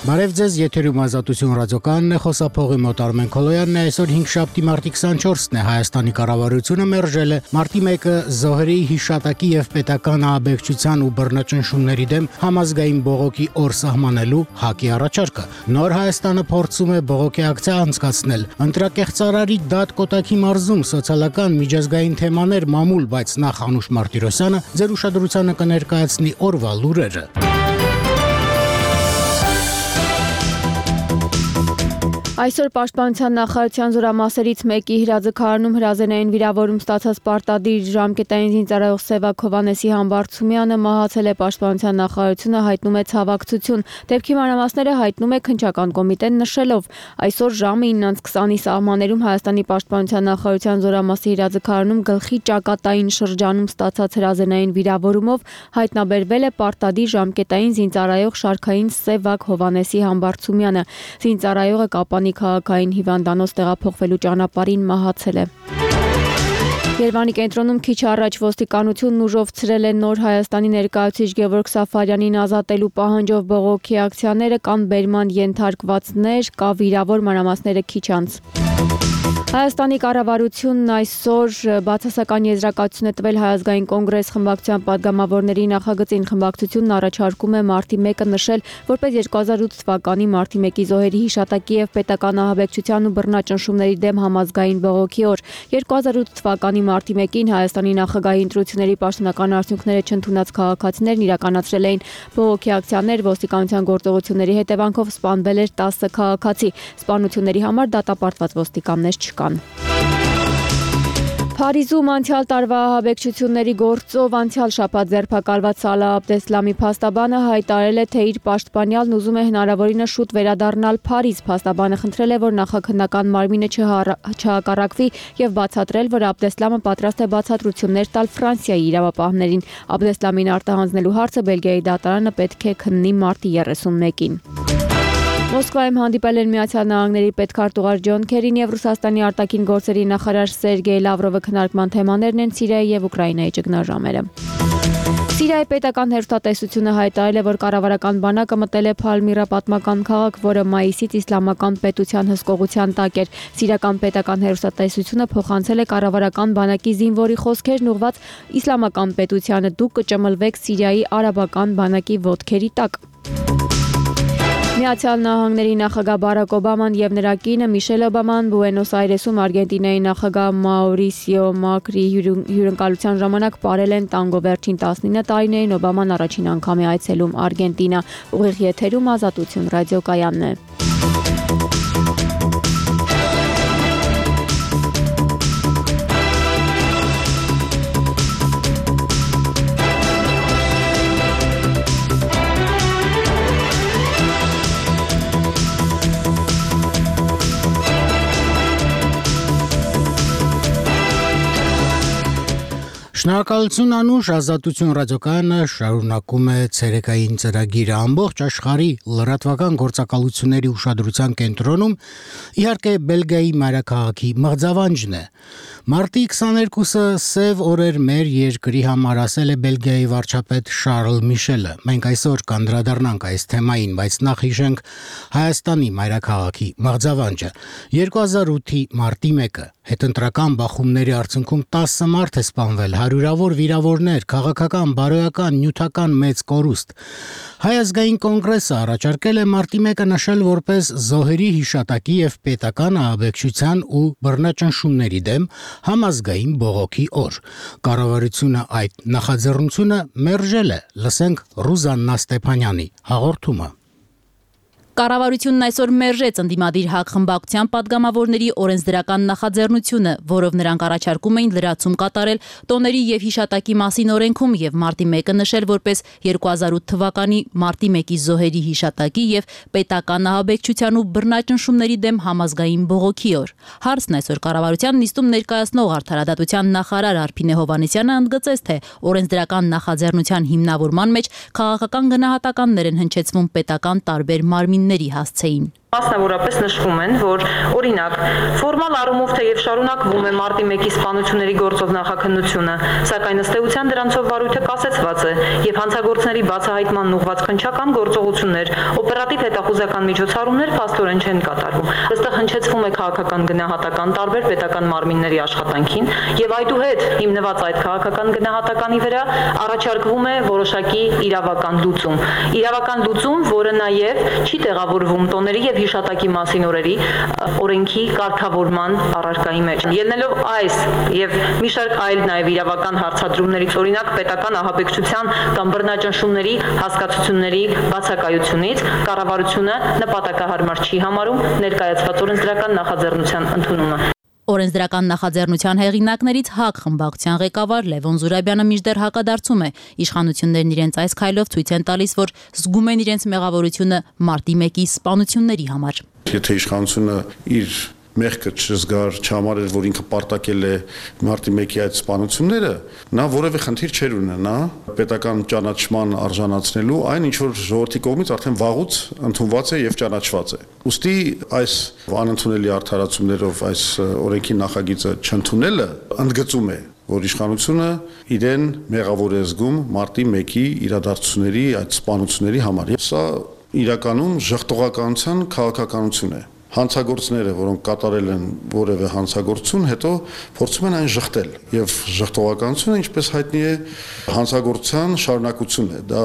Բարև ձեզ, եթերում Ազատություն ռադիոկայանն է, խոսափողի մոտ Արմեն Քոլոյանն է, այսօր 5 մարտի 24-ն է, Հայաստանի կառավարությունը մերժել է մարտի 1-ը զոհերի հիշատակի եւ պետական ահաբեկչության ու բռնաճնշումների դեմ համազգային բողոքի օր սահմանելու ՀԱԿ-ի առաջարկը։ Նոր Հայաստանը փորձում է բողոքի ակցիա անցկացնել։ Ընտրակեղծարարի դատ Կոտայքի մարզում սոցիալական միջազգային թեմաներ մամուլ, բայց նախ Անուշ Մարտիրոսյանը ձեր ուշադրությանը կներկայացնի օրվա լուրերը։ Այսօր Պաշտպանության նախարարության զորամասերից մեկի հրաձգարանում հրազենային վիրավորում ստացած պարտադիր ժամկետային զինծառայող Սևակ Հովհաննեսի Համբարձումյանը մահացել է։ Պաշտպանության նախարարությունը հայտնում է ցավակցություն։ Դեպքի մանրամասները հայտնում է քննչական կոմիտեն նշելով, այսօր ժամը 9:20-ի սահմաններում Հայաստանի Պաշտպանության նախարարության զորամասի հրաձգարանում գլխի ճակատային շրջանում ստացած հրազենային վիրավորումով հայտնաբերվել է պարտադիր ժամկետային զինծառայող շարքային Սևակ Հովհաննեսի Համբարձումյանը։ Զինծառայողը Կապանի քաղաքային հիվանդանոց տեղափոխվելու ճանապարհին մահացել է։ Երևանի կենտրոնում քիչ առաջ ոստիկանությունն ուժով ցրել է Նոր Հայաստանի ներկայացուցիչ Գևորգ Սաֆարյանին ազատելու պահանջով բողոքի ակցիաները, կան բերման ենթարկվածներ, կա վիրավոր, մանրամասները քիչ անց։ Հայաստանի կառավարությունն այսօր բացասական եզրակացություն է տվել Հայ ազգային կոնգրես խմբակցության падգամավորների նախագծին։ Խմբակցությունն առաջարկում է մարտի 1-ը նշել որպես 2008 թվականի մարտի 1-ի զոհերի հիշատակի եւ պետական ահաբեկչության ու բռնաճնշումների դեմ համազգային բողոքի օր։ 2008 թվականի մարտի 1-ին Հայաստանի նախագահի ընտրությունների պաշտոնական արդյունքները չընդունած քաղաքացիներն իրականացրել էին բողոքի ակցիաներ, ոստիկանության գործողությունների հետևանքով սպանվել էր 10 քաղաքացի։ Սպանությունների համար դատապարտված ոստիկաններ չկան։ Փարիզում անցյալ տարվա ահաբեկչությունների գործով անցյալ շաբաթ ձերբակալված Սալահ Աբդեսլամի փաստաբանը հայտարարել է, թե իր պաշտպանյալն ուզում է հնարավորինս շուտ վերադառնալ Փարիզ։ Փաստաբանը խնդրել է, որ նախաքննական մարմինը չհակառակվի եւ բացատրել, որ Աբդեսլամը պատրաստ է բացատրություններ տալ Ֆրանսիայի իրավապահներին։ Աբդեսլամին արտահանձնելու հարցը Բելգիայի դատարանը պետք է քննի մարտի 31-ին։ Մոսկվայում հանդիպել են Միացյալ Նահանգների պետքարտուղար Ջոն Քերին եւ Ռուսաստանի արտաքին գործերի նախարար Սերգեյ Լավրովը քննարկման թեմաներն են Սիրիայի եւ Ուկրաինայի ճգնաժամերը։ Սիրիայի պետական հեռուստատեսությունը հայտարարել է, որ կառավարական բանակը մտել է Փալմիրա պատմական քաղաք, որը մայիսից իսլամական պետության հսկողության տակ էր։ Սիրիական պետական հեռուստատեսությունը փոխանցել է կառավարական բանակի զինվորի խոսքերն ուղված իսլամական պետությանը՝ դուք կճմլվեք Սիրիայի արաբական բանակի ոտքերի տակ։ Միացյալ Նահանգների նախագահ Բարակ Օբաման եւ նրա կինը Միշել Օբաման Բուենոս Այրեսում Արգենտինայի նախագահ Մաուրիսիո Մակրի հյուրընկալության ժամանակ ապրել են տանգո վերջին 19 տարիներին։ Օբաման առաջին անգամ է այցելում Արգենտինա։ Ուղիղ եթերում Ազատություն ռադիոկայանն է։ Շնորհակալություն Անուշ, Ազատություն ռադիոկայանը շարունակում է ցերեկային ծրագիրը ամբողջ աշխարհի լրատվական գործակալությունների ուշադրության կենտրոնում իհարկե Բելգիայի մայրաքաղաքի մղձավանջն է։ Մարտի 22-ը սև օրեր մեր երկրի համար, ասել է Բելգիայի վարչապետ Շարլ Միշելը։ Մենք այսօր կանդրադառնանք այս թեմային, բայց նախ հիշենք Հայաստանի մայրաքաղաքի մղձավանջը։ 2008-ի մարտի 1-ը հետընտրական բախումների արդյունքում 10 մարդ է սպանվել, հարյուրավոր վիրավորներ, քաղաքական, բարոյական, նյութական մեծ կորուստ։ Հայ ազգային կոնգրեսը առաջարկել է մարտի 1-ը նշել որպես զոհերի հիշատակի եւ պետական ահաբեկչության ու բռնաճնշումների դեմ համազգային բողոքի օր։ Կառավարությունը այդ նախաձեռնությունը մերժել է։ Լսենք Ռուզաննա Ստեփանյանի հաղորդումը։ Կառավարությունն այսօր մերժեց ընդդիմադիր ՀԱԿ խմբակցության падգամավորների օրենսդրական նախաձեռնությունը, որով նրանք առաջարկում էին լրացում կատարել տոների եւ հիշատակի մասին օրենքում եւ մարտի 1-ը նշել որպես 2008 թվականի մարտի 1-ի զոհերի հիշատակի եւ պետական ահաբեկչության ու բռնաճնշումների դեմ համազգային բողոքի օր։ Հարցն այսօր կառավարության նիստում ներկայացնող արդարադատության նախարար Արփինե Հովհաննիսյանը ընդգծեց, թե օրենսդրական նախաձեռնության հիմնավորման մեջ քաղաքական գնահատականներ են հնչեցվում պետական տարբեր մարմինների հասցեին։ Մասնավորապես նշվում են, որ օրինակ ֆորմալ առումով թեև շարունակվում է մարտի 1-ի սպանությունների գործով նախաքննությունը, սակայն ըստ էության դրանցով վարույթը կասեցված է եւ հանցագործների բացահայտման ուղղված քննչական գործողություններ, օպերատիվ հետախուզական միջոցառումներ փաստորեն չեն կատարվում։ Այստեղ հնչեցվում է քաղաքական գնահատական տարբեր պետական մարմինների աշխատանքին եւ այդուհետ հիմնված այդ քաղաքական գնահատականի վրա առաջարկվում է որոշակի իրավական լուծում, որը նաեւ չի տեղավորվում տոների եւ հիշատակի մասին օրենքի կարգավորման առարկայի մեջ։ Ելնելով այս եւ մի շարք այլ նաեւ իրավական հարցադրումներից, օրինակ պետական ահաբեկչության կամ բռնաճնշումների հասկացությունների բացակայությունից, կառավարությունը նպատակահարմար չի համարում ներկայացված օրենսդրական նախաձեռնության ընդունումը։ Օրենսդրական նախաձեռնության հեղինակներից ՀԱԿ խմբակցության ղեկավար Լևոն Զուրաբյանը մինչդեռ հակադարձում է։ Իշխանություններն իրենց այս քայլով ցույց են տալիս, որ զգում են իրենց մեղավորությունը մարտի 1-ի սպանությունների համար։ Եթե իշխանությունը իր մեղքը չզգար, չհամարեր, որ ինքը պարտակել է մարտի 1-ի այդ սպանությունները, նա որևէ խնդիր չէր ունենա պետական ճանաչման արժանացնելու այն, ինչ որ ժողովրդի կողմից արդեն վաղուց ընդունված է եւ ճանաչված է։ Ուստի այս անընդունելի արդարացումներով այս օրենքի նախագիծը չընդունելը ընդգծում է, որ իշխանությունը իրեն մեղավոր է զգում մարտի 1-ի իրադարձությունների այդ սպանությունների համար։ Սա իրականում ժխտողականության քաղաքականություն է։ Հանցագործները, որոնք կատարել են որևէ հանցագործություն, հետո փորձում են այն ժխտել եւ ժխտողականությունը, ինչպես հայտնի է, հանցագործության շարունակություն է։ Դա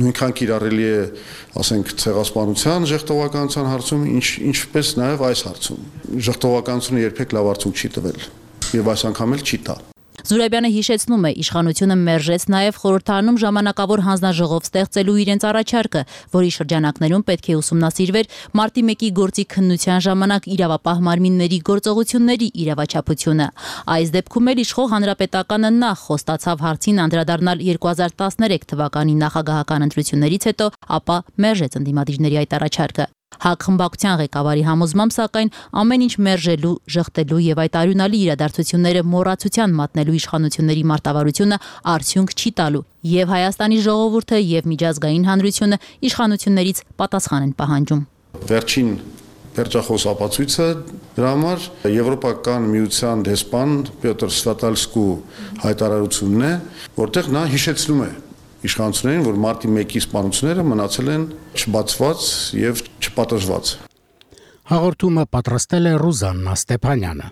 նույնքան կիրառելի է, ասենք, ցեղասպանության ժխտողականության հարցում, ինչպես նաեւ այս հարցում։ Ժխտողականությունը երբեք լավ արդյունք չի տվել եւ այս անգամ էլ չի տա։ Զուրաբյանը հիշեցնում է, իշխանությունը մերժեց նաև խորհրդարանում ժամանակավոր հանձնաժողով ստեղծելու իրենց առաջարկը, որի շրջանակներում պետք է ուսումնասիրվեր մարտի 1-ի գործի քննության ժամանակ իրավապահ մարմինների գործողությունների իրավաչափությունը։ Այս դեպքում էլ իշխող հանրապետականը նախ խոստացավ հարցին անդրադառնալ 2013 թվականի նախագահական ընտրություններից հետո, ապա մերժեց ընդդիմադիրների այդ առաջարկը։ ՀԱԿ խմբակցության ղեկավարի համոզմամբ, սակայն ամեն ինչ մերժելու, ժխտելու եւ այդ արյունալի իրադարձությունները մոռացության մատնելու իշխանությունների մարտավարությունը արդյունք չի տալու, եւ Հայաստանի ժողովուրդը եւ միջազգային հանրությունը իշխանություններից պատասխան են պահանջում։ Վերջին վերջախոս ապացույցը դրա համար Եվրոպական միության դեսպան Պյոտր Սվատալսկու հայտարարությունն է, որտեղ նա հիշեցնում է իշխանություններին, որ մարտի 1-ի սպանությունները մնացել են չբացված եւ չպատժված։ Հաղորդումը պատրաստել է Ռուզաննա Ստեփանյանը։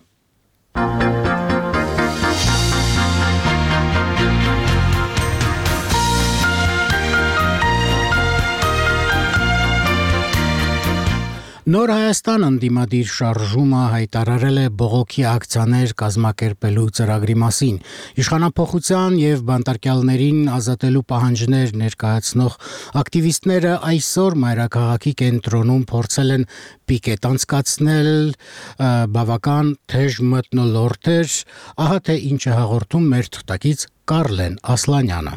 Նոր Հայաստան ընդդիմադիր շարժումը հայտարարել է բողոքի ակցիաներ կազմակերպելու ծրագրի մասին։ Իշխանափոխության եւ բանտարկյալներին ազատելու պահանջներ ներկայացնող ակտիվիստները այսօր մայրաքաղաքի կենտրոնում փորձել են պիկետ անցկացնել, բավական թեժ մթնոլորտ էր, ահա թե ինչ է հաղորդում մեր թղթակից Կարլեն Ասլանյանը։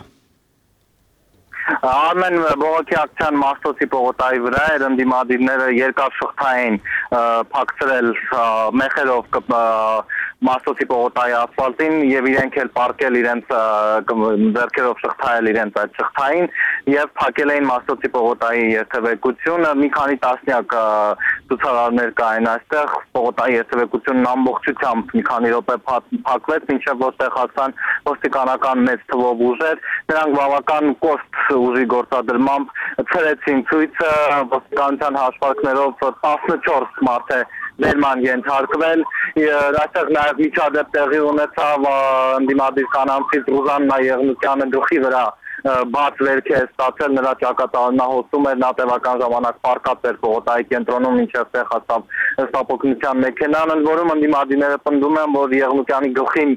Արմեն բողոքի ակցիան Մաշտոցի պողոտայի վրա էր, ընդդիմադիրները երկար շղթային փակցրել մեխերով Մաշտոցի պողոտայի ասֆալտին եւ իրենք էլ պարկել իրենց ձեռքերով շղթայել իրենց այդ շղթային եւ փակել էին Մաշտոցի պողոտայի երթևեկությունը։ Մի քանի տասնյակ ցուցարարներ կային այստեղ, պողոտայի երթևեկությունն ամբողջությամբ մի քանի րոպե փակվեց, մինչեւ որտեղ հասան ոստիկանական մեծ թվով ուժեր, նրանք բավական կոշտ ուժի գործադրմամբ ցրեցին ցույցը, ոստիկանության հաշվարկներով 14 մարդ է ներման ենթարկվել, այստեղ նաև միջադեպ տեղի ունեցավ ընդդիմադիր կանանցից Ռուզաննա Եղնիկյանը գլխի վրա բաց վերք է ստացել, նրա ճակատանահոսում էր, նա տևական ժամանակ պարկած էր պողոտայի կենտրոնում, մինչև տեղ հասավ ստապօգնության մեքենան, ընդ որում ընդդիմադիրները պնդում են, որ Եղնիկյանի գլխին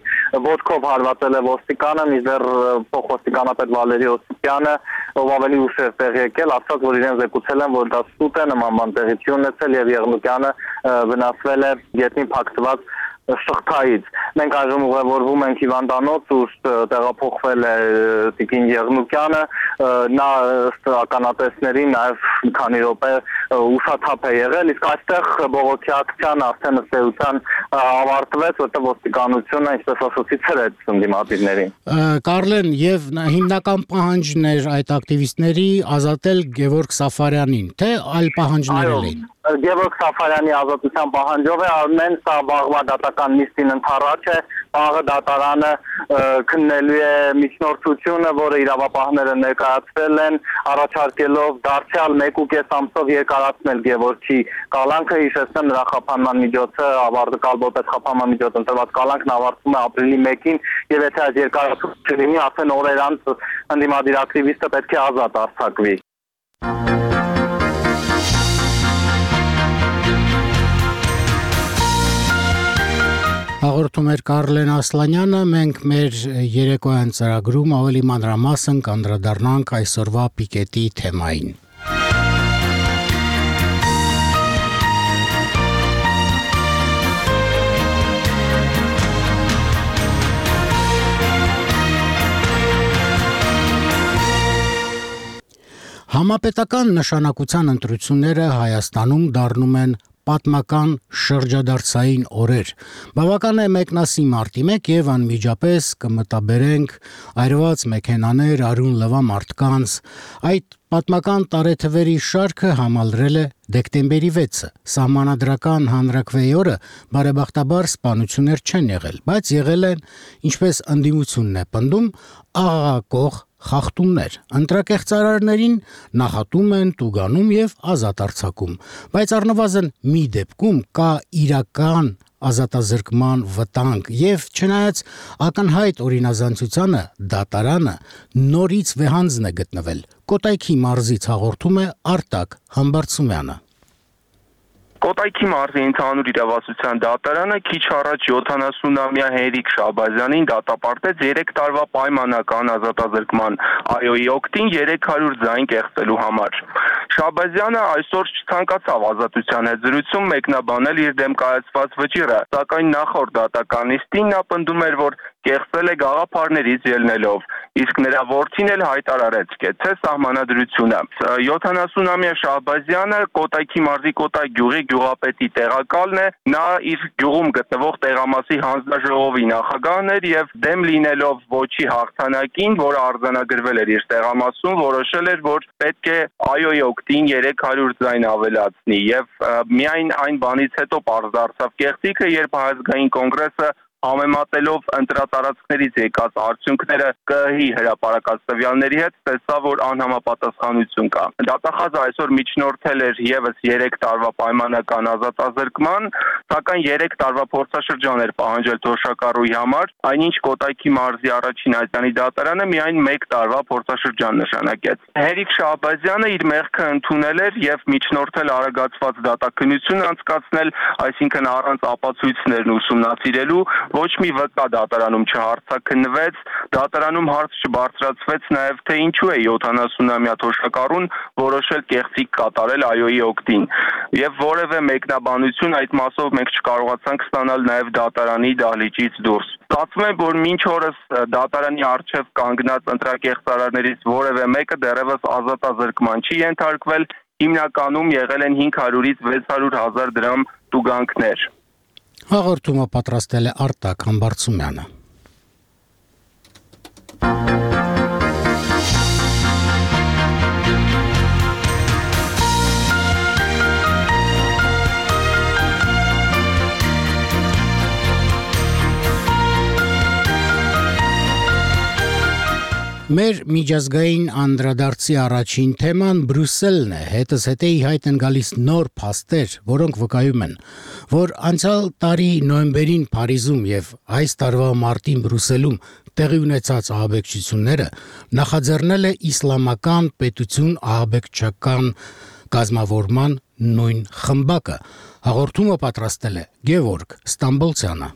ոտքով հարվածել է ոստիկանը, մինչդեռ փոխոստիկանապետ Վալերի Օսիպյանը, ով ավելի ուշ էր տեղ եկել, ասաց, որ իրեն զեկուցել են, որ դա սուտ է, նման բան տեղի չի ունեցել եւ Եղնիկյանը վնասվել է գետնին փակցված շղթայից։ Մենք այժմ ուղևորվում ենք հիվանդանոց, ուր տեղափոխվել է Տիկին Եղնիկյանը, նա ըստ ականատեսների նաև մի քանի րոպե ուշաթափ է եղել, իսկ այստեղ բողոքի ակցիան արդեն ըստ էության ավարտվեց, որտեղ ոստիկանությունը, ինչպես ասացի, ցրեց ընդդիմադիրներին։ Կարլեն, եւ հիմնական պահանջն էր այդ ակտիվիստների ազատել Գևորգ Սաֆարյանին, թե այլ պահանջներ էին։ Գևորգ Սաֆարյանի ազատության պահանջով է արմեն, սա վաղվա դատական նիստին ընթառաջ է, վաղը դատարանը քննելու է միջնորդությունը, որը իրավապահները ներկայացրել են, առաջարկելով դարձյալ 1.5 ամսով երկարացնել Գևորգի կալանքը, հիշեցնեմ նրա խափանման միջոցը, կալբոպետ խափանման միջոց ընտրված կալանքն ավարտվում է ապրիլի 1-ին, եւ եթե այդ երկարացումը չլինի, արդեն օրեր անց ընդդիմադիր ակտիվիստը պետք է ազատ արձակվի։ Հաղորդում էր Կարլեն Ասլանյանը, մենք մեր երեկոյան ծրագրում ավելի մանրամասն կանդրադառնանք այսօրվա պիկետի թեմային։ Համապետական նշանակության ընտրությունները Հայաստանում դառնում են պատմական շրջադարձային օրեր։ Բավական է մեկնասի մարտի 1 եւ անմիջապես կմտաբերենք այրված մեքենաներ, արյուն լվա մարդկանց։ Այդ պատմական տարեթվերի շարքը համալրել է դեկտեմբերի 6-ը։ Սահմանադրական հանրաքվեի օրը բարեբախտաբար սպանություններ չեն եղել, բայց եղել են, ինչպես ընդդիմությունն է պնդում, աղաղակող խախտումներ։ Ընտրակեղծարարներին նախատում են, տուգանում եւ ազատ արձակում, բայց առնվազն մի դեպքում կա իրական ազատազրկման վտանգ եւ չնայած ակնհայտ օրինազանցությանը դատարանը նորից վեհանձն է գտնվել։ Կոտայքի մարզից հաղորդում է Արտակ Համբարձումյանը։ Կոտայքի մարզի ընդհանուր իրավասության դատարանը քիչ առաջ 70-ամյա Հենրիկ Շահբազյանին դատապարտեց 3 տարվա պայմանական ազատազրկման այոյի օգտին 300 ձայն կեղծելու համար։ Շահբազյանը այսօր չցանկացավ ազատության հետ զրույցում մեկնաբանել իր դեմ կայացված վճիռը, սակայն նախորդ դատական նիստին նա պնդում էր, որ կեղծել է գաղափարներից ելնելով, իսկ նրա որդին էլ հայտարարեց, կեցե սահմանադրությունը։ 70-ամյա Շահբազյանը Կոտայքի մարզի Կոտայ գյուղի գյուղապետի տեղակալն է, նա իր գյուղում գտնվող տեղամասի հանձնաժողովի նախագահն էր եւ դեմ լինելով ոչի հաղթանակին, որը արձանագրվել էր իր տեղամասում, որոշել էր, որ պետք է այոյի օգտին 300 ձայն ավելացնի եւ միայն այն բանից հետո պարզ դարձավ կեղծիքը, երբ Հայազգային կոնգրեսը համեմատելով ընտրատարածքներից եկած արդյունքները ԿԸՀ-ի հրապարակած տվյալների հետ տեսա, որ անհամապատասխանություն կա։ Դատախազը այսօր միջնորդել էր եւս 3 տարվա պայմանական ազատազրկման, սակայն 3 տարվա փորձաշրջան էր պահանջել թոշակառուի համար, այնինչ Կոտայքի մարզի առաջին այցանի դատարանը միայն 1 տարվա փորձաշրջան նշանակեց։ Հենրիկ Շահբազյանը իր մեղքը ընդունել էր եւ միջնորդել արագացված դատաքննություն անցկացնել, այսինքն առանց ապացույցներն ուսումնասիրելու, ոչ մի վկա դատարանում չհարցաքննվեց, դատարանում հարց չբարձրացվեց նաև թե ինչու է 70-ամյա թոշակառուն որոշել կեղծիք կատարել այոյի օգտին։ Եվ որևէ մեկնաբանություն այդ մասով մենք չկարողացանք ստանալ նաև դատարանի դահլիճից դուրս։ Ստացվում է, որ մինչ օրս դատարանի առջև կանգնած ընտրակեղծարարներից որևէ մեկը դեռևս ազատազրկման չի ենթարկվել, հիմնականում եղել են 500-ից 600,000 դրամ տուգանքներ։ Հաղորդումը պատրաստել է Արտակ Համբարձումյանը։ Մեր միջազգային անդրադարձի առաջին թեման Բրյուսելն է, հետս հետե ի հայտ են գալիս նոր փաստեր, որոնք վկայում են, որ անցյալ տարի նոյեմբերին Փարիզում եւ այս տարվա մարտին Բրյուսելում տեղի ունեցած ահաբեկչությունները նախաձեռնել է իսլամական պետություն ահաբեկչական կազմավորման նույն խմբակը։ Հաղորդումը պատրաստել է Գևորգ Ստամբոլցյանը։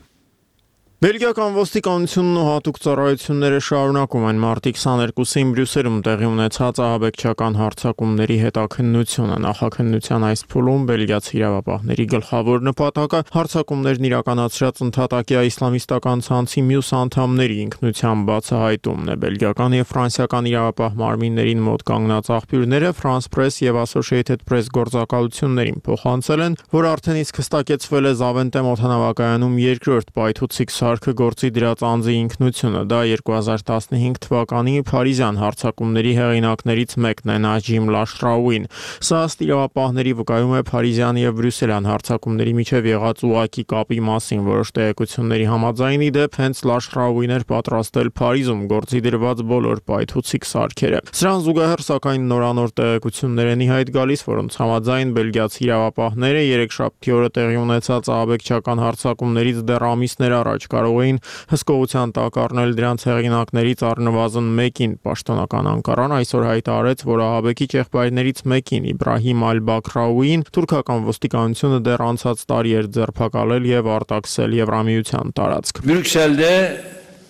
Բելգիական ոստիկանությունն ու հատուկ ծառայությունները շարունակում են մարտի 22-ին Բրյուսելում տեղի ունեցած ահաբեկչական հարձակումների հետաքննությունը։ Նախաքննության այս փուլում բելգիացի իրավապահների գլխավոր նպատակը հարձակումներն իրականացրած ընդհատակյա իսլամիստական ցանցի մյուս անդամների ինքնության բացահայտումն է։ Բելգիական եւ ֆրանսիական իրավապահ մարմիններին մոտ կանգնած աղբյուրները France Press եւ Associated Press գործակալություններին փոխանցել են, որ արդեն իսկ հստակեցվել է Զավենտեմ օդանավակայանում երկրորդ պայթուցիկ սարքը գործի դրած անձի ինքնությունը։ Դա 2015 թվականի Փարիզյան հարձակումների հեղինակներից մեկն է Նաջիմ Լաշրաուին։ Սա ըստ իրավապահների վկայում է Փարիզյան եւ Բրյուսելյան հարձակումների միջև եղած ուղղակի կապի մասին։ Որոշ տեղեկությունների համաձայն ի դեպ հենց Լաշրաուին էր պատրաստել Փարիզում գործի դրված բոլոր պայթուցիկ սարքերը։ Սրան զուգահեռ սակայն նորանոր տեղեկություններ են ի հայտ գալիս, որոնց համաձայն բելգիացի իրավապահները երեքշաբթի օրը տեղի ունեցած ահաբեկչական հարձակումներից դեռ ամիսներ առաջ կարող էին հսկողության տակ առնել դրանց հեղինակներից առնվազն մեկին։ Պաշտոնական Անկարան այսօր հայտարարեց, որ ահաբեկիչ եղբայրներից մեկին Իբրահիմ Ալ-Բաքրաուին թուրքական ոստիկանությունը դեռ անցած տարի էր ձերբակալել եւ արտաքսել Եվրամիության տարածք։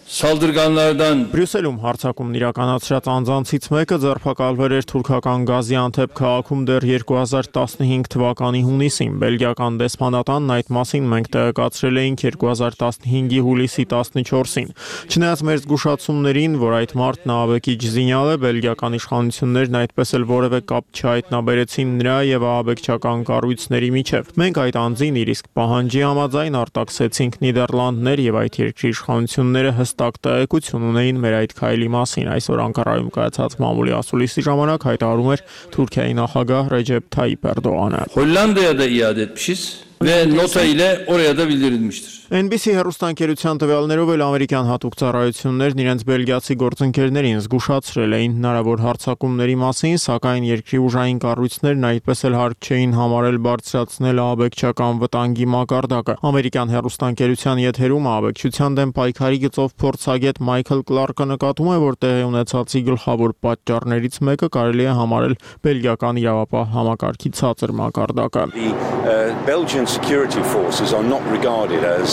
Բրյուսելում հարձակումն իրականացրած անձանցից մեկը ձերբակալվել էր թուրքական Գազիանթեփ քաղաքում դեռ 2015 թվականի հունիսին։ Բելգիական դեսպանատանն այդ մասին մենք տեղեկացրել էինք 2015-ի հուլիսի 14-ին։ Չնայած մեր զգուշացումներին, որ այդ մարդն ահաբեկիչ զինյալ է, բելգիական իշխանություններն այդպես էլ որևէ կապ չհայտնաբերեցին նրա եւ ահաբեկչական կառույցների միջև։ Մենք այդ անձին իր իսկ պահանջի համաձայն արտաքսեցինք Նիդերլանդներ եւ այդ երկրի իշխանությունները հստակ տեղեկություն ունեին մեր այդ քայլի մասին։ Այսօր Անկարայում կայացած մամուլի ասուլիսի ժամանակ հայտարարում էր Թուրքիայի նախագահ Ռեջեփ Թայիփ Էրդողանը։ Hollanda'ya da iade etmişiz ve nota ile oraya da bildirilmiştir. NBC հեռուստաընկերության տվյալներով էլ ամերիկյան հատուկ ծառայություններն իրենց բելգիացի գործընկերներին զգուշացրել էին հնարավոր հարձակումների մասին, սակայն երկրի ուժային կառույցներն այդպես էլ հարկ չէին համարել բարձրացնել ահաբեկչական վտանգի մակարդակը։ Ամերիկյան հեռուստաընկերության եթերում ահաբեկչության դեմ պայքարի գծով փորձագետ Մայքլ Կլարկը նկատում է, որ տեղի ունեցածի գլխավոր պատճառներից մեկը կարելի է համարել բելգիական իրավապահ համակարգի ցածր մակարդակը։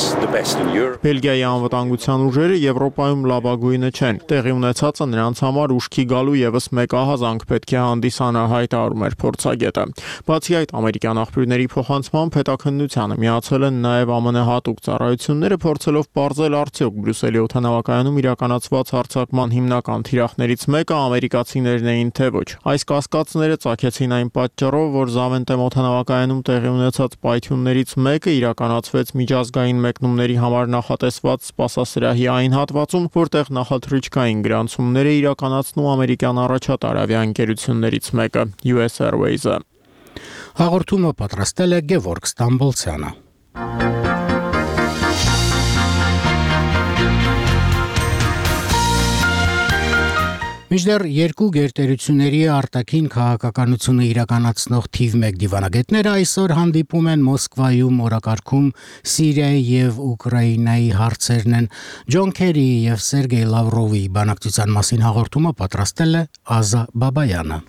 Բելգիայի անվտանգության ուժերը Եվրոպայում լավագույնը չեն։ Տեղի ունեցածը նրանց համար ուշքի գալու եւս մեկ ահազանգ պետք է հանդիսանա, հայտարարում էր փորձագետը։ Բացի այդ, ամերիկյան աղբյուրների փոխանցմամբ հետաքննությանը միացել են նաեւ ԱՄՆ հատուկ ծառայությունները, փորձելով պարզել արդյոք Բրյուսելի օդանավակայանում իրականացված հարձակման հիմնական թիրախներից մեկը ամերիկացիներն էին թե ոչ։ Այս կասկածները ծագեցին այն պատճառով, որ Զավենտեմ օդանավակայանում տեղի ունեցած պայթյուններից մեկը իրականացվեց միջազգային մեկնումների համար նախատեսված սպասասրահի այն հատվածում, որտեղ նախաթռիչքային գրանցումներ է իրականացնում ամերիկյան առաջատար ավիաընկերություններից մեկը՝ US Airways-ը։ Հաղորդումը պատրաստել է Գևորգ Ստամբոլցյանը։ Մինչդեռ երկու գերտերությունների արտաքին քաղաքականությունը իրականացնող թիվ 1 դիվանագետները այսօր հանդիպում են Մոսկվայում օրակարգում Սիրիայի եւ Ուկրաինայի հարցերն են։ Ջոն Քերիի եւ Սերգեյ Լավրովի բանակցության մասին հաղորդումը պատրաստել է Ազա Բաբայանը։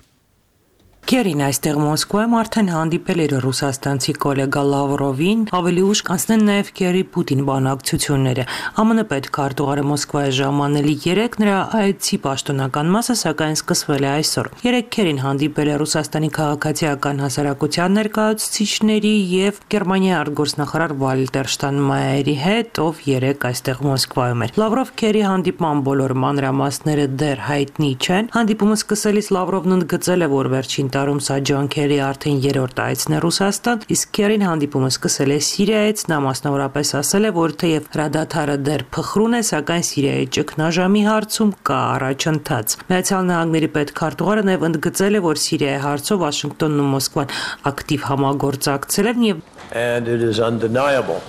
Քերին այստեղ Մոսկվայում արդեն հանդիպել էր ռուսաստանցի գոլեգա Լավրովին, ավելի ուշ կանցնեն նաև Քերի-Պուտին բանակցությունները։ ԱՄՆ պետքարտուղարը Մոսկվայի ժամանել 3 նրա այցի պաշտոնական մասը սակայն սկսվել է այսօր։ 3 Քերին հանդիպել է Ռուսաստանի քաղաքացիական հասարակության ներկայացուցիչների եւ Գերմանիայի արտգործնախարար Վալտեր Շտայնմայերի հետ, ով 3 այստեղ Մոսկվայում էր։ Լավրով-Քերի հանդիպման բոլոր մանրամասները դեռ հայտնի չեն։ Հանդիպումը սկսելիս Լավրովն ընդգծել է, որ վերջին տարում սա Ջոն Քերի արդեն 3-րդ այցն է Ռուսաստան, իսկ Քերին հանդիպումը սկսել է Սիրիայից, նա մասնավորապես ասել է, որ թեև հրադադարը դեռ փխրուն է, սակայն Սիրիայի ճգնաժամի հարցում կա առաջընթաց։ Միացյալ Նահանգների պետքարտուղարը նաև ընդգծել է, որ Սիրիայի հարցով Վաշինգտոնն ու Մոսկվան ակտիվ համագործակցել են եւ And it is undeniable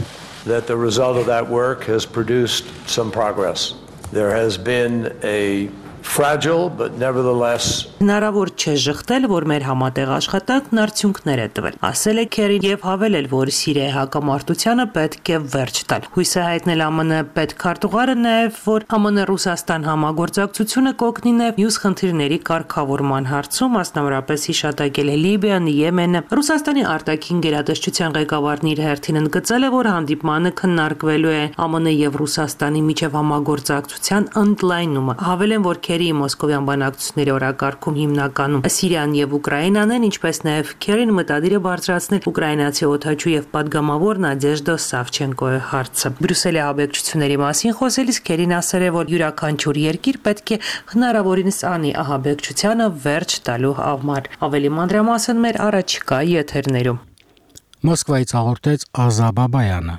that the result of that work has produced some progress. There has been a fragile, but nevertheless. Հնարավոր չէ ժխտել, որ մեր համատեղ աշխատանքն արդյունքներ է տվել։ Ասել է Քերին եւ հավելել, որ Սիրիայի հակամարտությանը պետք է վերջ տալ։ Հույս է հայտնել ԱՄՆ պետքարտուղարը նաեւ, որ ԱՄՆ-Ռուսաստան համագործակցությունը կօգնի նաեւ մյուս խնդիրների կարգավորման հարցում, մասնավորապես հիշատակել է Լիբիան, Եմենը։ Ռուսաստանի արտաքին գերատեսչության ղեկավարն իր հերթին ընդգծել է, որ հանդիպմանը քննարկվելու է ԱՄՆ եւ Ռուսաստանի միջև համագործակցության ընդլայնումը։ Հավելեն, որ Քերիի մոսկովյան բանակցությունների օրակարգում հիմնականում Սիրիան եւ Ուկրաինան են, ինչպես նաեւ Քերին մտադիր է բարձրացնել ուկրաինացի օդաչու եւ падգամավոր Նադեժդա Սավչենկոյի հարցը։ Բրյուսելի ահաբեկչությունների մասին խոսելիս Քերին ասել է, որ յուրաքանչյուր երկիր պետք է հնարավորինս անի ահաբեկչությանը վերջ տալու համար։ Ավելի մանրամասն մեր առաջիկա եթերներում։ Մոսկվայից հաղորդեց Ազա Բաբայանը։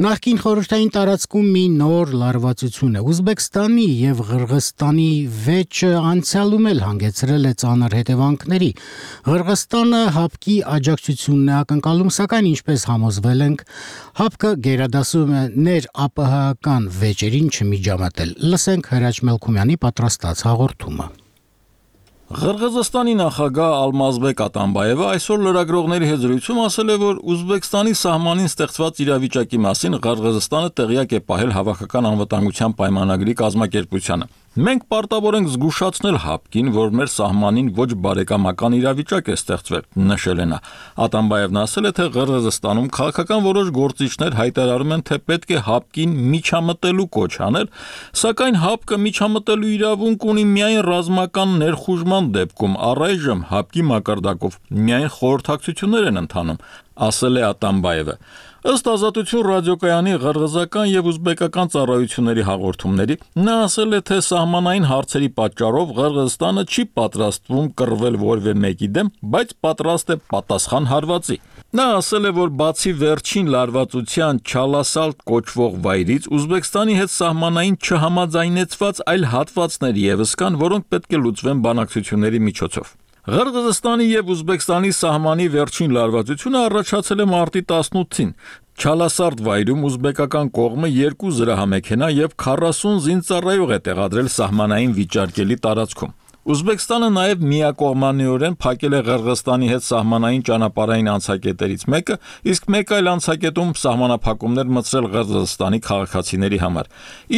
Նախկին խորհրդային տարածքում մի նոր լարվածություն է։ Ուզբեկստանի եւ Ղրղստանի վեճը անցյալում էլ հանգեցրել է ծանր հետևանքների։ Ղրղստանը ՀԱՊԿ-ի աջակցությունն է ակնկալում, սակայն ինչպես համոզվել ենք, ՀԱՊԿ-ը գերադասում է ներ-ԱՊՀ-ական վեճերին չմիջամտել։ Լսենք Հրաչ Մելքումյանի պատրաստած հաղորդումը։ Ղրղզստանի նախագահ Ալմազբեկ Ատամբաևը այսօր լրագրողների հետ զրույցում ասել է, որ Ուզբեկստանի սահմանին ստեղծված իրավիճակի մասին Ղրղզստանը տեղյակ է պահել Հավաքական անվտանգության պայմանագրի կազմակերպությանը։ Մենք պարտավոր ենք զգուշացնել ՀԱՊԿ-ին, որ մեր սահմանին ոչ բարեկամական իրավիճակ է ստեղծվել, նշել է նա։ Ատամբաևն ասել է, թե Ղրղզստանում քաղաքական որոշ գործիչներ հայտարարում են, թե պետք է ՀԱՊԿ-ին միջամտելու կոչ անել, սակայն ՀԱՊԿ-ը միջամտելու իրավունք ունի միայն ռազմական ներխուժման դեպքում, առայժմ ՀԱՊԿ-ի մակարդակով միայն խորհրդակցություններ են ընթանում, ասել է Ատամբաևը։ Ըստ Ազատություն ռադիոկայանի ղրղզական եւ ուզբեկական ծառայությունների հաղորդումների, նա ասել է, թե սահմանային հարցերի պատճառով Ղրղզստանը չի պատրաստվում կռվել որևէ մեկի դեմ, բայց պատրաստ է պատասխան հարվածի։ Նա ասել է, որ բացի վերջին լարվածության Չալասալտ կոչվող վայրից Ուզբեկստանի հետ սահմանային չհամաձայնեցված այլ հատվածներ եւս կան, որոնք պետք է լուծվեն բանակցությունների միջոցով։ Ղրղզստանի եւ Ուզբեկստանի սահմանի վերջին լարվածությունը առաջացել է մարտի 18-ին։ Չալասարդ վայրում ուզբեկական կողմը 2 զրահամեքենա եւ 40 զինծառայող է տեղադրել սահմանային վիճարկելի տարածքում։ Ուզբեկստանը նաև միակողմանիորեն փակել է Ղրղստանի հետ սահմանային ճանապարհային անցակետերից մեկը, իսկ մեկ այլ անցակետում սահմանափակումներ մտցրել Ղրղզստանի քաղաքացիների համար։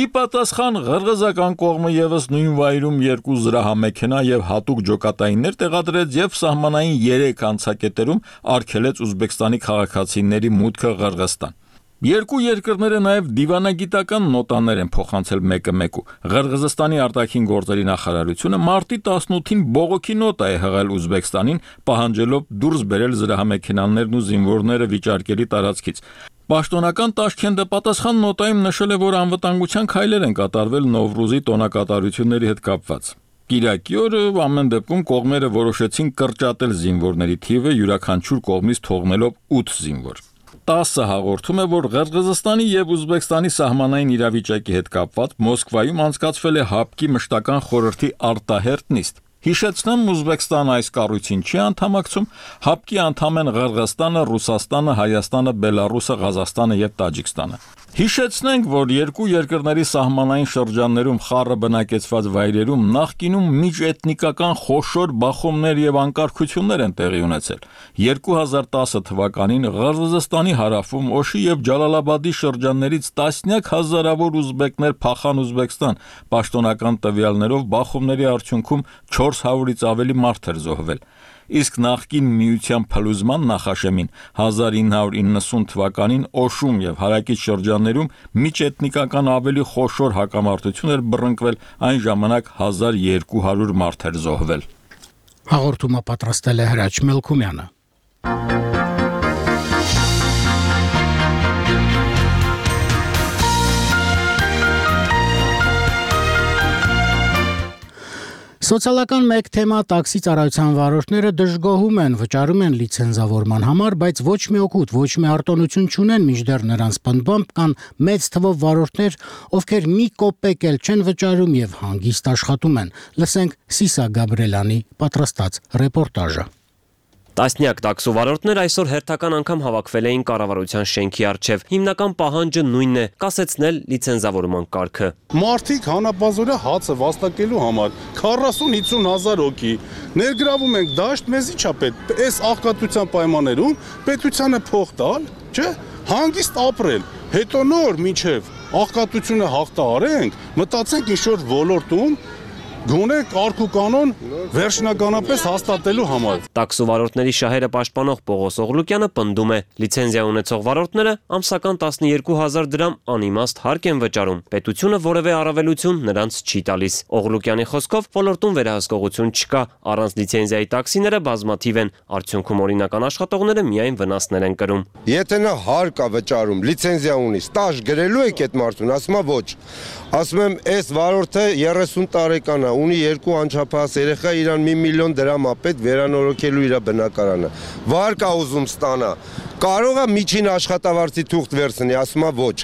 Ի պատասխան ղրղզական կողմը եւս նույն վայրում 2 զրահամեքենա եւ հատուկ ջոկատայիններ տեղադրեց եւ սահմանային 3 անցակետերում արգելեց Ուզբեկստանի քաղաքացիների մուտքը Ղրղստան։ Երկու երկրները նաև դիվանագիտական նոտաներ են փոխանցել մեկը մեկու։ Ղրղզստանի արտաքին գործերի նախարարությունը մարտի 18-ին բողոքի նոտա է հղել Ուզբեկստանին, պահանջելով դուրս բերել զրահամեքենաներն ու զինվորները վիճարկելի տարածքից։ Պաշտոնական Տաշքենտը պատասխան նոտայում նշել է, որ անվտանգության քայլեր են կատարվել Նովրուզի տոնակատարությունների հետ կապված։ Կիրակի օրը ամեն դեպքում կողմերը որոշեցին կրճատել զինվորների թիվը յուրաքանչյուր կողմից թողնելով 8 զինվոր։ 10 հաղորդում է, որ Ղրղզստանի եւ Ուզբեկստանի սահմանային իրավիճակի հետ կապված Մոսկվայում անցկացվել է ՀԱՊԿ-ի մշտական խորհրդի արտահերթ նիստ։ Հիշեցնեմ, Ուզբեկստանը այս կառույցին չի անդամակցում, ՀԱՊԿ-ի անդամ են Ղրղստանը, Ռուսաստանը, Հայաստանը, Բելարուսը, Ղազախստանը եւ Տաջիկստանը։ Հիշեցնենք, որ երկու երկրների սահմանային շրջաններում խառը բնակեցված վայրերում նախկինում միջէթնիկական խոշոր բախումներ եւ անկարգություններ են տեղի ունեցել։ 2010 թվականին Ղրղզստանի հարավում Օշի եւ Ջալալաբադի շրջաններից տասնյակ հազարավոր ուզբեկներ փախան Ուզբեկստան, պաշտոնական տվյալներով բախումների արդյունքում 400-ից ավելի մարդ էր զոհվել։ Իսկ նախկին միության փլուզման նախաշեմին 1990 թվականին Օշում եւ հարակից շրջաններում միջէթնիկական ավելի խոշոր հակամարտություն էր բռնկվել, այն ժամանակ 1200 մարդ էր զոհվել։ Հաղորդումը պատրաստել է Հրաչ Մելքումյանը։ Սոցիալական մեկ թեմա տաքսի ծառայության վարորդները դժգոհում են, վճարում են լիցենզավորման համար, բայց ոչ մի օգուտ, ոչ մի արտոնություն չունեն, մինչդեռ նրանց պնդմամբ կան մեծ թվով վարորդներ, ովքեր մի կոպեկ էլ չեն վճարում եւ հանգիստ աշխատում են։ Լսենք Սիսա Գաբրելյանի պատրաստած ռեպորտաժը։ Տասնյակ տաքսովարորդներ այսօր հերթական անգամ հավաքվել էին կառավարության շենքի առջև։ Հիմնական պահանջը նույնն է՝ կասեցնել լիցենզավորման կարգը։ Մարդիկ հանապազորը հացը վաստակելու համար 40-50 հազար հոգի ներգրավում ենք դաշտ, մեզի չա պետք։ Այս աղքատության պայմաններում պետությանը փող տալ, չէ՞, հանգիստ ապրել։ Հետո նոր մինչև աղքատությունը հաղթահարենք, մտածենք ինչ-որ ոլորտում գոնե կարգ ու կանոն վերջնականապես հաստատելու համար։ Տաքսովարորդների շահերը պաշտպանող Պողոս Օղլուկյանը պնդում է՝ լիցենզիա ունեցող վարորդները ամսական 12,000 դրամ անիմաստ հարկ են վճարում։ Պետությունը որևէ առավելություն նրանց չի տալիս։ Օղլուկյանի խոսքով ոլորտում վերահսկողություն չկա, առանց լիցենզիայի տաքսիները բազմաթիվ են, արդյունքում օրինական աշխատողները միայն վնասներ են կրում։ Եթե նա հարկ է վճարում, լիցենզիա ունի, ստաժ գրելու եք այդ մարդուն, ասում է ոչ։ Ասում եմ, այս վարորդը 30 տարեկան է, ունի 2 անչափահաս երեխա, իրան 1 միլիոն դրամ է պետք վերանորոգելու իր բնակարանը։ Վարկ է ուզում ստանա։ Կարող է միջին աշխատավարձի թուղթ վերցնի, ասում է ոչ։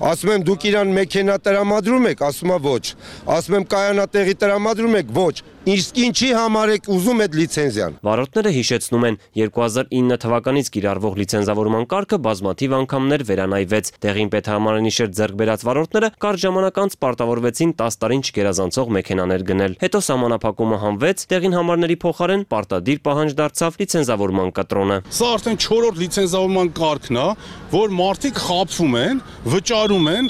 Ասում եմ դուք իրան մեքենա տրամադրում եք, ասում է ոչ։ Ասում եմ կայանատեղի տրամադրում եք, ոչ։ Իսկ ինչի համար եք ուզում այդ լիցենզիան։ Վարորդները հիշեցնում են 2009 թվականից կիրառվող լիցենզավորման կարգը բազմաթիվ անգամներ վերանայվեց։ Տեղին պետհամարանի շերտ ձեռք բերած վարորդները կարճ ժամանակ անց պարտավորվեցին 10 տարին չգերազանցող մեքենաներ գնել։ Հետո սահմանափակումը հանվեց, տեղին համարների փոխարեն պարտադիր պահանջ դարձավ լիցենզավորման կտրոնը։ Սա արդեն 4-րդ լիցենզավորման կարգն է, որ մարդիկ խաբվում են, վճարում են,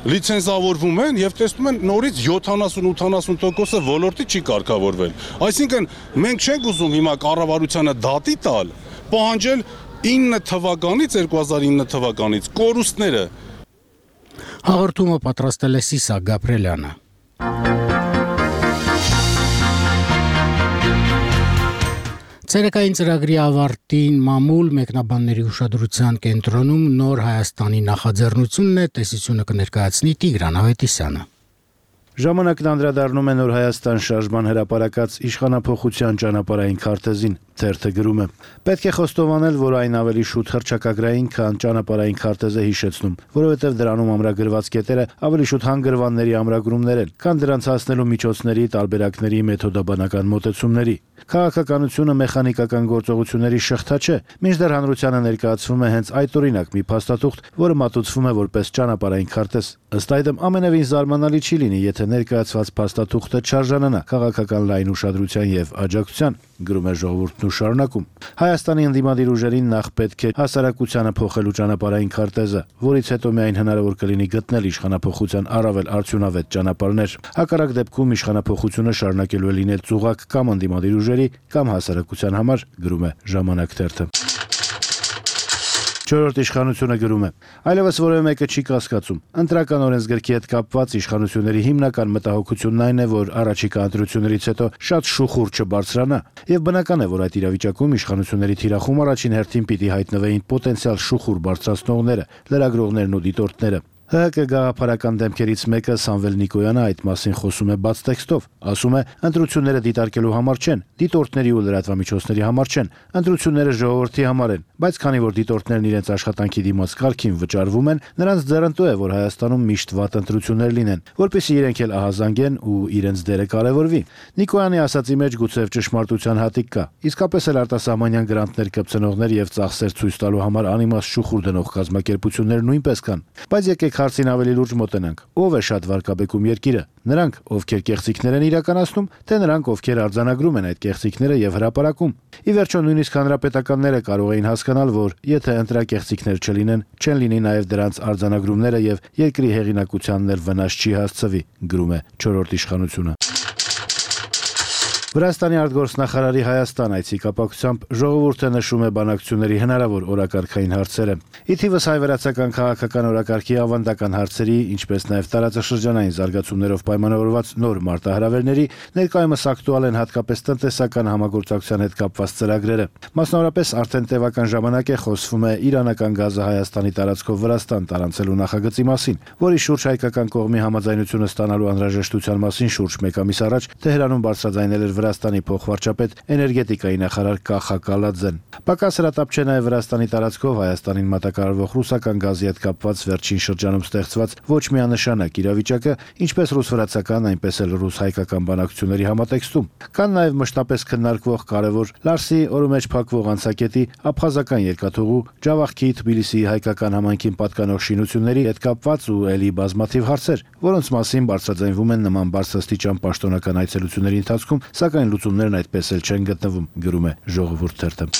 լիցենզավորվում են եւ տեսնում են նորից 70-80%-ը ոլորտի չի կարգավորվել։ Այսինքն մենք չենք ուզում հիմա կառավարությանը դատի տալ, պահանջել 2009 թվականից կորուստները։ Հաղորդումը պատրաստել է Սիսա Գաբրելյանը։ Ցերեկային ծրագրի ավարտին մամուլ մեկնաբանների ուշադրության կենտրոնում նոր Հայաստանի նախաձեռնությունն է, տեսությունը կներկայացնի Տիգրան Ավետիսյանը։ Ժամանակն անդրադառնում է Նոր Հայաստան շարժման հրապարակած իշխանափոխության ճանապարհային քարտեզին, թերթը գրում է. Պետք է խոստովանել, որ այն ավելի շուտ հռչակագրային, քան ճանապարհային քարտեզը հիշեցնում, որովհետև դրանում ամրագրված կետերը ավելի շուտ հանգրվանների ամրագրումներ են, քան դրանց հասնելու միջոցների, տարբերակների, մեթոդաբանական մոտեցումների։ Քաղաքականությունը մեխանիկական գործողությունների շղթա չէ, մինչդեռ հանրությանը ներկայացվում է հենց այդ օրինակ մի փաստաթուղթ, որը մատուցվում է որպես ճանապարհային քարտեզ։ Ըստ այդմ ամենևին զարմանալի չի լինի, եթե ներկայացված փաստաթուղթը չարժանանա քաղաքական լայն ուշադրության եւ աջակցության, գրում է ժողովուրդն ու շարունակում։ Հայաստանի ընդդիմադիր ուժերին նախ պետք է հասարակությանը փոխելու ճանապարհային քարտեզը, որից հետո միայն հնարավոր կլինի գտնել իշխանափոխության առավել արդյունավետ ճանապարհներ։ Հակառակ դեպքում իշխանափոխությունը շարունակելու է լինել ծուղակ կամ ընդդիմադիր ուժերի կամ հասարակության համար, գրում է Ժամանակ թերթը։ Չորրորդ իշխանությունը գրում է. այլևս որևէ մեկը չի կասկածում։ Ընտրական օրենսգրքի հետ կապված իշխանությունների հիմնական մտահոգությունն այն է, որ առաջիկա ընտրություններից հետո շատ շուխուր չբարձրանա, եւ բնական է, որ այդ իրավիճակում իշխանությունների թիրախում առաջին հերթին պիտի հայտնվեին պոտենցիալ շուխուր բարձրացնողները, լրագրողներն ու դիտորդները։ ՀՀԿ գաղափարական դեմքերից մեկը Սամվել Նիկոյանը այդ մասին խոսում է բաց տեքստով, ասում է. ընտրությունները դիտարկելու համար չեն, դիտորդների ու լրատվամիջոցների համար չեն, ընտրությունները ժողովրդի համար են, բայց քանի որ դիտորդներն իրենց աշխատանքի դիմաց կարգին վճարվում են, նրանց ձեռնտու է, որ Հայաստանում միշտ վատ ընտրություններ լինեն, որպեսզի իրենք էլ ահազանգեն ու իրենց դերը կարևորվի։ Նիկոյանի ասածի մեջ գուցե ճշմարտության հատիկ կա, իսկապես էլ արտասահմանյան գրանտներ կպցնողներ եւ ծախսեր ցույց տալու համար անիմաստ շուխուր դնող կազմակերպություններ նույնպես կան, բայց եկեք հարցին ավելի լուրջ մոտենանք. ով է շատ վարկաբեկում երկիրը, նրանք, ովքեր կեղծիքներ են իրականացնում, թե նրանք, ովքեր արձանագրում են այդ կեղծիքները եւ հրապարակում։ Ի վերջո նույնիսկ հանրապետականները կարող էին հասկանալ, որ եթե ընտրակեղծիքներ չլինեն, չեն լինի նաեւ դրանց արձանագրումները եւ երկրի հեղինակությանն էլ վնաս չի հասցվի, գրում է չորրորդ իշխանությունը։ Վրաստանի արտգործնախարարի Հայաստան այցի կապակցությամբ ժողովուրդը նշում է բանակցությունների հնարավոր օրակարգային հարցերը։ Ի թիվս հայ-վրացական քաղաքական օրակարգի ավանդական հարցերի, ինչպես նաև տարածաշրջանային զարգացումներով պայմանավորված նոր մարտահրավերների, ներկայումս ակտուալ են հատկապես տնտեսական համագործակցության հետ կապված ծրագրերը։ Մասնավորապես արդեն տևական ժամանակ է խոսվում է իրանական գազը Հայաստանի տարածքով Վրաստան տարանցելու նախագծի մասին, որի շուրջ հայկական կողմի համաձայնությունը ստանալու անհրաժեշտության մասին շուրջ մեկ ամիս առաջ Թեհրանում բարձրաձայնել էր Վրաստանի փոխվարչապետ էներգետիկայի նախարար Կախա Կալաձեն։ Պակաս հրատապ չէ նաև Վրաստանի տարածքով Հայաստանին մատակարարվող ռուսական գազի հետ կապված վերջին շրջանում ստեղծված ոչ միանշանակ իրավիճակը, ինչպես ռուս-վրացական, այնպես էլ ռուս-հայկական բանակցությունների համատեքստում։ Կան նաև մշտապես քննարկվող կարևոր Լարսի օրը մեջ փակվող անցակետի, աբխազական երկաթուղու, Ջավախքի, Թբիլիսիի հայկական համայնքին պատկանող շինությունների հետ կապված ու ելի բազմաթիվ հարցեր, որոնց մասին բարձրաձայնվում են նման բարձրաստիճան պաշտոնական այցելությունների ընթացքում, սակայն լուծումներն այդպես էլ չեն գտնվում, գրում է Ժողովուրդ թերթը։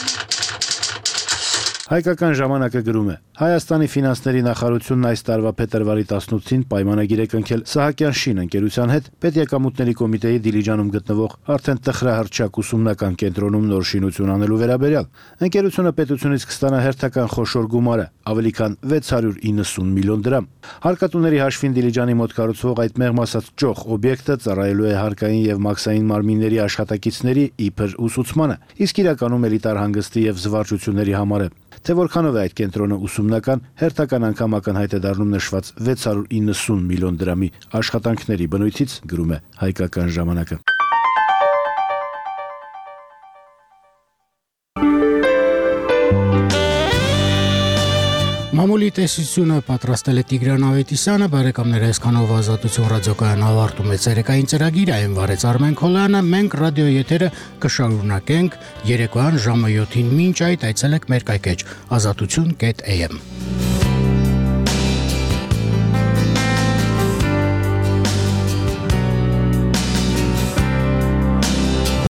Հայկական ժամանակը գրում է. Հայաստանի ֆինանսների նախարարությունն այս տարվա փետրվարի 18-ին պայմանագիր է կնքել Սահակյան շին ընկերության հետ պետեկամուտների կոմիտեի Դիլիջանում գտնվող արդեն տխրահռչակ ուսումնական կենտրոնում նոր շինություն անելու վերաբերյալ։ Ընկերությունը պետությունից կստանա հերթական խոշոր գումարը, ավելի քան 690 միլիոն դրամ։ Հարկատուների հաշվին Դիլիջանի մոտ կառուցվող այդ մեղմ ասած ճոխ օբյեկտը ծառայելու է հարկային եւ մաքսային մարմինների աշխատակիցների իբր ուսուցմանը, իսկ իրականում էլիտար հանգստի եւ զվարճությունների համար է։ Թե որքանով է այդ կենտրոնը ուսումնական, հերթական անգամ ակնհայտ է դառնում նշված 690 միլիոն դրամի աշխատանքների բնույթից, գրում է Հայկական ժամանակը։ Մամուլի տեսությունը պատրաստել է Տիգրան Ավետիսյանը, բարեկամներ, այսքանով Ազատություն ռադիոկայան ավարտում է ցերեկային ծրագիրը, այն վարեց Արմեն Քոլյանը, մենք ռադիո եթերը կշարունակենք երեկոյան ժամը 7-ին, մինչ այդ այցելեք մեր կայքեջ azatutun.am